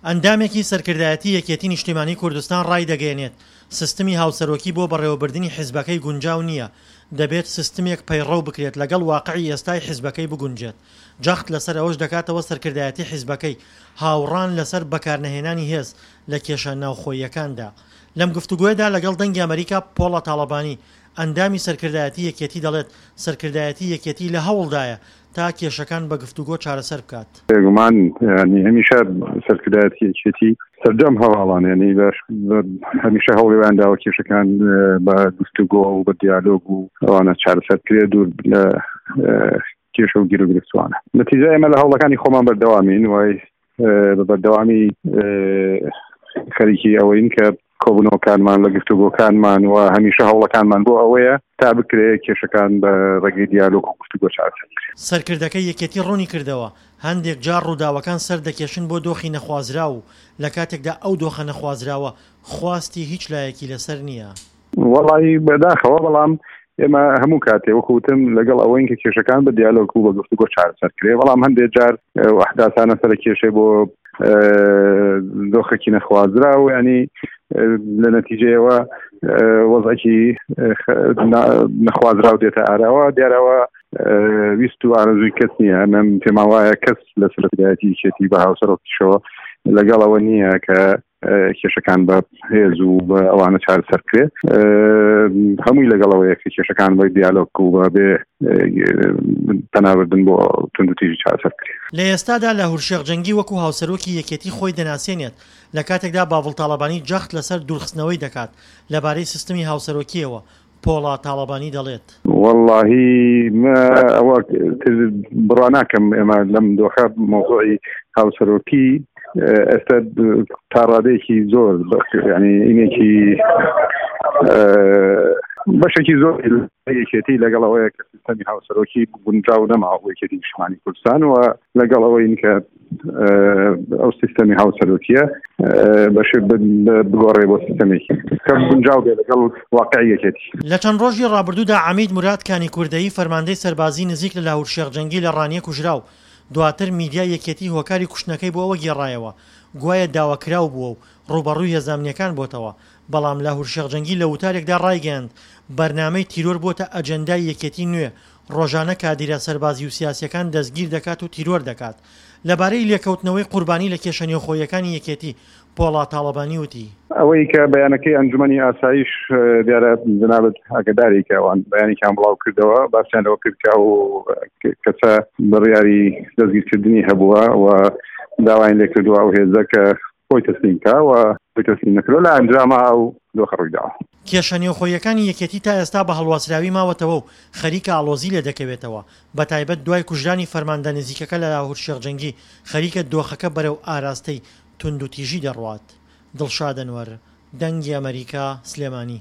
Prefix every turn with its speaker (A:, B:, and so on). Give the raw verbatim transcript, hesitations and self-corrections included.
A: ئەندامێکی سەرکردایەتی یەکێتی نیشتیمانی کوردستان ڕایدەگەیەنێت، سیستمی هاوسەرۆکی بۆ بەڕێوەبردنی حیزبەکەی گونجاو نییە، دەبێت سیستمێک پەیڕەو بکرێت لەگەڵ واقعی ئێستای حیزبەکەی بگونجێت، جەخت لەسەر ئەوەش دەکاتەوە سەرکردایەتی حیزبەکەی هاوڕان لەسەر بەکارنەهێنانی هێز لە کێشە ناوخۆییەکاندا. لەم گفتوگۆیەدا لەگەڵ دەنگی ئەمەریکا پۆڵا تاڵەبانی، ئەندامی سەرکردایەتی یەکێتی دەڵێت، سەرکردایەتی یەکێتی لە هەوڵدایە تا کێشەکان بە گفتوگۆ چارەسەر بکات.
B: بێگومان یانی هەمیشە سەرکردایەتی یەکێتی سەرجەم هەواڵان یانی هەمیشە هەوڵی وایان داوە کێشەکان بە گفتوگۆ و بە دیالۆگ و ئەوانە چارەسەر بکرێت دوور لە کێشە و گیروگرفتوانە. نەتیجە ئێمە لە هەوڵەکانی خۆمان بەردەوامین وای بە بەردەوامی خەریکی ئەوەین کە کۆبوونەوەکانمان لە گفتوگۆکانمان و هەمیشە هەوڵەکانمان بۆ ئەوەیە تا بکرێ کێشەکان بە ڕێگەی دیالۆگ و گفتوگۆ چارەسەر بکرێن.
A: سەرکردەکەی یەکێتی ڕوونی کردەوە، هەندێک جار ڕووداوەکان سەردەکێشن بۆ دۆخی نەخوازراو و لە کاتێکدا ئەو دۆخە نەخوازراوە خواستی هیچ لایەکی لەسەر نییە.
B: وەڵایی بەداخەوە، بەڵام ئێمە هەموو کاتێ وەکو وتم لەگەڵ ئەوەین کە کێشەکان بە دیالۆگ و بە گفتوگۆ چارەسەر کرێ، بەڵام هەندێک جار ئەو ئەحداسانە سەرکێشێ بۆ دۆخێکی نەخوازراو، ینی لە نەتیجەیەوە وەزعێکی نەخوازراو دێتە ئاراوە. دیارەوە ویست و ئارەزووی کەس نییە، من پێمان وایە کەس لە سەرکردایەتی یەکێتی بە هاوسەرۆکیشەوە لەگەڵ ئەوە نییە کە کێشەکان بە هێز و بە ئەوانە چارەسەر بکرێت. هەمووی لەگەڵەوەیە کە کێشەکان بە دیالۆگ و بە بێ پەنابردن بۆ توندوتیژی چارەسەر بکرێت.
A: لە ئێستادا لاهور شێخ جەنگی وەکو هاوسەرۆکی یەکێتی خۆی دەناسێنێت، لە کاتێکدا باڤڵ تاڵەبانی جەخت لەسەر دوورخستنەوەی دەکات. لەبارەی سیستمی هاوسەرۆکییەوە پۆڵا تاڵەبانی دەڵێت.
B: وەڵاهی ئەوە بڕوا ناکەم ئێمە لەم دۆخە مەوزوعی هاوسەرۆکی ئێستا تا ڕادەیەکی زۆر ینی ئینێکی بەشێکی زۆر یەکێتی لەگەڵ ئەوەیە کە سیستەمی هاوسەرۆکی گونجاو نەماوە بۆ یەکێتی نیشتمانی کوردستان و لەگەڵ ئەوەین کە ئەو سیستەمی هاوسەرۆکیە بەش بگۆڕێ بۆ سیستەمێکی کە گونجاو بێ لەگەڵ واقعی یەکێتی.
A: لە چەند ڕۆژی ڕابردوودا عەمید موراد کانی کوردەیی فەرماندەی سەربازی نزیک لە لاهور شێخ جەنگی لە ڕانیە کوژرا و دواتر میدیای یەکێتی هۆکاری کوشتنەکەی بۆ ئەوە گێڕایەوە گوایە داواکراو بووە و ڕووبەڕووی هێزە ئەمنییەکان بۆتەوە، بەڵام لاهور شێخ جەنگی لە وتارێکدا ڕایگەیاند بەرنامەی تیرۆر بۆتە ئەجێندای یەکێتی نوێ، ڕۆژانە کادیرە سەربازی و سیاسییەکان دەستگیر دەکات و تیرۆر دەکات. لەبارەی لێکەوتنەوەی قوربانی لە کێشە نێوخۆییەکانی یەکێتی، پۆڵا تاڵەبانی وتی.
B: ئەوەی کە بەیانەکەی ئەنجومەنی ئاسایش دیارە جەنابت ئاگاداری کە ئەوان بەیانێکیان بڵاو کردەوە، باسیان لەوە کرد کە ئەو کەسە بڕیاری دەستگیرکردنی هەبووە و داوایان لێکردووە ئەو هێزە کە خۆی تەسلیم کا و خۆی تەسلیم نەکردووە، لە ئەنجاما ئەو دۆخە ڕوویداوە.
A: کێشە نێوخۆییەکانی یەکێتی تا ئێستا بە هەڵواسراوی ماوەتەوە و خەریکە ئاڵۆزی لێ دەکەوێتەوە، بەتایبەت دوای کوژرانی فەرماندە نزیکەکە لە لاهور شێخ جەنگی، خەریکە دۆخەکە بەرەو ئاراستەی توندوتیژی دەڕوات. دڵشاد ئەنوەر، دەنگی ئەمەریکا، سلێمانی.